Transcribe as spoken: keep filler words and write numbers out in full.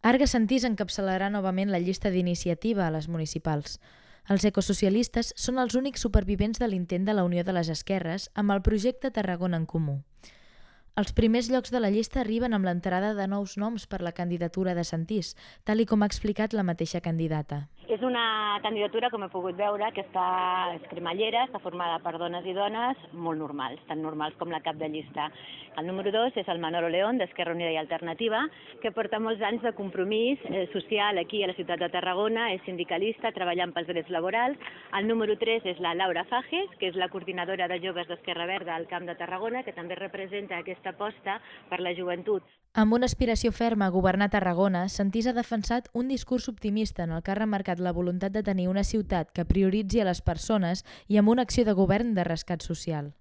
Arga Sentís encapçalarà novament la llista d'iniciativa a les municipals. Els ecosocialistes són els únics supervivents de l'intent de la Unió de les Esquerres amb el projecte Tarragona en Comú. Els primers llocs de la llista arriben amb l'entrada de nous noms per la candidatura de Sentís, tal i com ha explicat la mateixa candidata. És una candidatura, com he pogut veure, que està és cremallera, està formada per dones i dones molt normals, tan normals com la cap de llista. El número dos és el Manolo León, d'Esquerra Unida i Alternativa, que porta molts anys de compromís eh, social aquí a la ciutat de Tarragona, és sindicalista, treballant pels drets laborals. El número tres és la Laura Fages, que és la coordinadora de joves d'Esquerra Verda al Camp de Tarragona, que també representa aquesta aposta per la joventut. Amb una aspiració ferma a governar Tarragona, Sentís ha defensat un discurs optimista en el que ha remarcat la voluntat de tenir una ciutat que prioritzi a les persones i amb una acció de govern de rescat social.